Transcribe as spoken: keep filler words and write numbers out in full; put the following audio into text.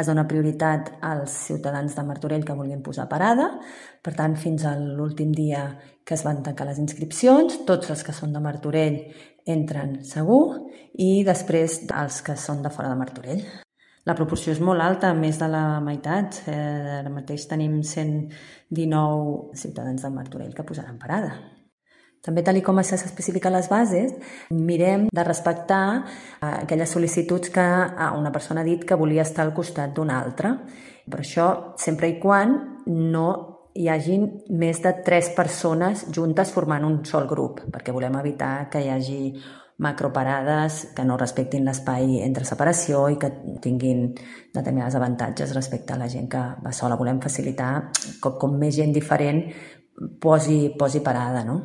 es dona prioritat als ciutadans de Martorell que vulguin posar parada. Per tant, fins a l'últim dia que es van tancar les inscripcions, tots els que són de Martorell entren segur i després els que són de fora de Martorell. La proporció és molt alta, més de la meitat. Eh, ara mateix tenim cent dinou ciutadans de Martorell que posaran parada. També, tal com s'especifica a les bases, mirem de respectar aquelles sol·licituds que una persona ha dit que volia estar al costat d'una altra. Però això sempre i quan no hi hagin més de tres persones juntes formant un sol grup, perquè volem evitar que hi hagi macroparades que no respectin l'espai entre separació i que tinguin determinats avantatges respecte a la gent que va sola. Volem facilitar que com més gent diferent posi, posi parada, no?